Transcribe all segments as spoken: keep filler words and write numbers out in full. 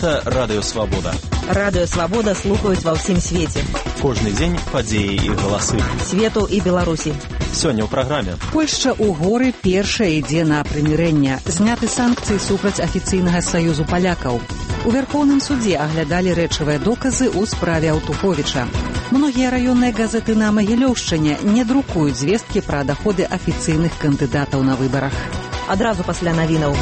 Гэта Радыё Свабода. Радыё Свабода слухаюць ва ўсім свеце. Кожны дзень падзеі і галасы. Свету і Беларусі. Сёння ў праграме. Польшча ў горы першая ідзе на прымірэнне. Зняты санкцыі супраць афіцыйнага саюзу палякаў. У Вярхоўным судзе аглядалі рэчавыя доказы ў справе Аўтуховіча. Многія раённыя газеты на Магілёўшчыне не друкуюць звесткі пра даходы афіцыйных кандыдатаў на выбарах. Адразу пасля навінаў.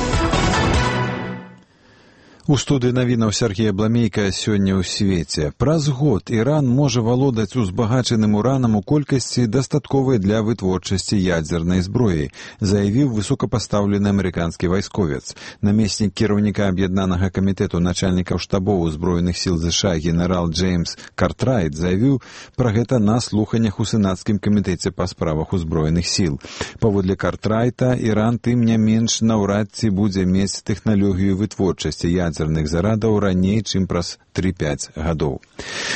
У студыі навінаў Сергея Бламейка сёння ў свеце. Праз год Іран можа валодаць узбагачаным уранам у колькасці дастатковай для вытворчасці ядзернай зброі, заявіў высокапастаўлены амерыканскі вайсковец. Намеснік кіраўніка аб'яднанага камітэту начальнікаў штабоў узброеных сіл ЗША генерал Джеймс Картрайт заявіў пра гэта на слуханнях у сенацкім камітэце па справах узброеных сіл. Паводле Картрайта, Іран тым не менш наўрад ці будзе мець тэхналогію вытворчасці ядзернай ядзерных зарадаў раней, чым праз тры-пяць гадоў.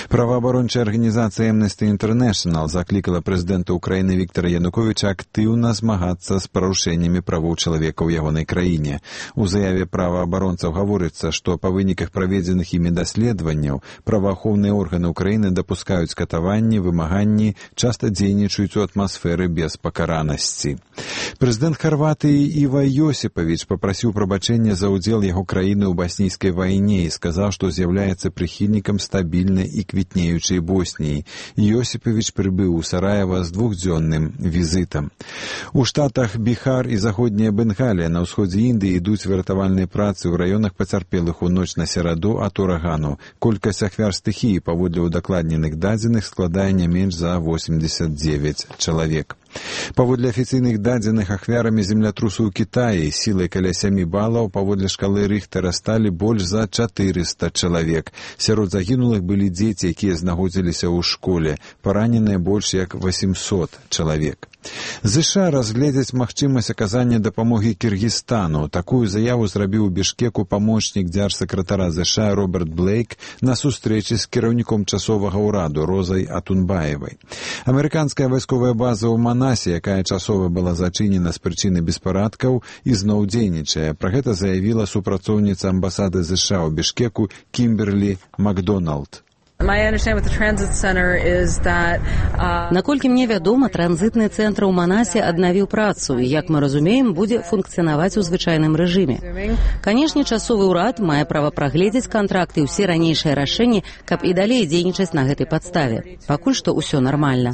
Праваабарончая арганізацыя Amnesty International заклікала прэзідэнта Украіны Віктара Януковіча актыўна змагацца з парушэннямі правоў чалавека ў ягонай краіне. У заяве праваабаронцаў гаворыцца, што па выніках праведзеных імі даследаванняў праваахоўныя органы Украіны дапускаюць катаванні, вымаганні, часта дзейнічаюць у атмасферы без пакаранасці. Прэзідэнт Харватыі Іва Йосіпавіч папрасіў прабачэння за ўдзел яго краіны ў баснійскай вайне і сказаў, што з'яўляецца прыхільнікам стабільнай і квітнеючай Босніі. Йосіпавіч прыбыў у Сараева з двухдзённым візітам. У штатах Біхар і заходняя Бенгалія на ўсходзе Індыі ідуць выратавальныя працы ў раёнах пацярпелых у ноч на сераду ад урагану. Колькасць ахвяр стыхіі паводле удакладненых дадзеных складае не менш за восемьдесят девять чалавек. Паводле афіцыйных дадзеных ахвярамі землятрусу ў Кітаі сілай каля сямі балаў паводле шкалы Рыхтара сталі больш за чатырыста чалавек. Сярод загінулых былі дзеці, якія знаходзіліся ў школе. Параненыя больш як восемьсот чалавек. ЗША разгледзяць магчымасць аказання дапамогі Кіргізстану. Такую заяву зрабіў у Бішкеку памочнік дзяржсакратара ЗША Роберт Блейк на сустрэчы з кіраўніком часовага ўраду Розай Атунбаевай. Амерыканская вайсковая база ў Манасе, якая часова была зачынена з прычыны беспарадкаў, ізноў дзейнічае. Пра гэта заявіла супрацоўніца амбасады ЗША ў Бішкеку Кімберлі Макдоналд. Наколькі мне вядома, транзітны цэнтр у Манасе аднавіў працу і, як мы разумеем, будзе функцыянаваць у звычайным рэжыме. Канешне, часовы ўрад мае права прагледзець кантракты і ўсе ранейшыя рашэнні, каб і далей дзейнічаць на гэтай падставе. Пакуль што ўсё нармальна.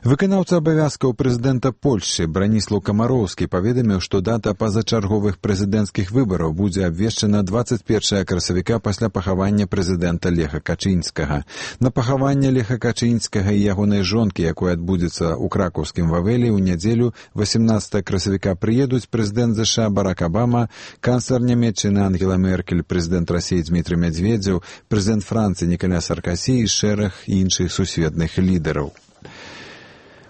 Выканаўца абавязкаў прэзідэнта Польшчы Браніслаў Камароўскі паведаміў, што дата пазачарговых прэзідэнцкіх выбараў будзе абвешчана дваццаць першага красавіка пасля пахавання прэзідэнта Леха Качынскага. На пахаванне Леха Качынскага і ягонай жонкі, якое адбудзецца ў кракаўскім Вавелі ў нядзелю восемнадцатага красавіка прыедуць прэзідэнт ЗША Барак Абама, канцлер Нямецчыны Ангела Меркель, прэзідэнт Расіі Дмітрый Мядзведзеў, прэзідэнт Францыі Нікаля Саркасі і шэраг іншых сусветных лідараў.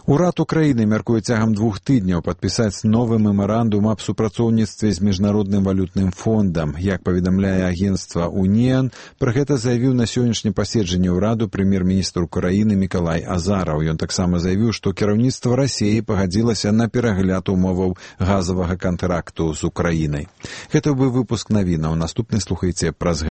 Урад Украіны мяркуе цягам двух тыдняў падпісаць новы мемарандум аб супрацоўніцтве з міжнародным валютным фондам. Як паведамляе агенцтва «Уніан», пра гэта заявіў на сённяшнім паседжанні ўраду прэм'ер-міністр Украіны Мікалай Азараў. Ён таксама заявіў, што кіраўніцтва Расіі пагадзілася на перагляд умоваў газавага кантракту з Украінай. Гэта быў выпуск навінаў. Наступны слухайце праз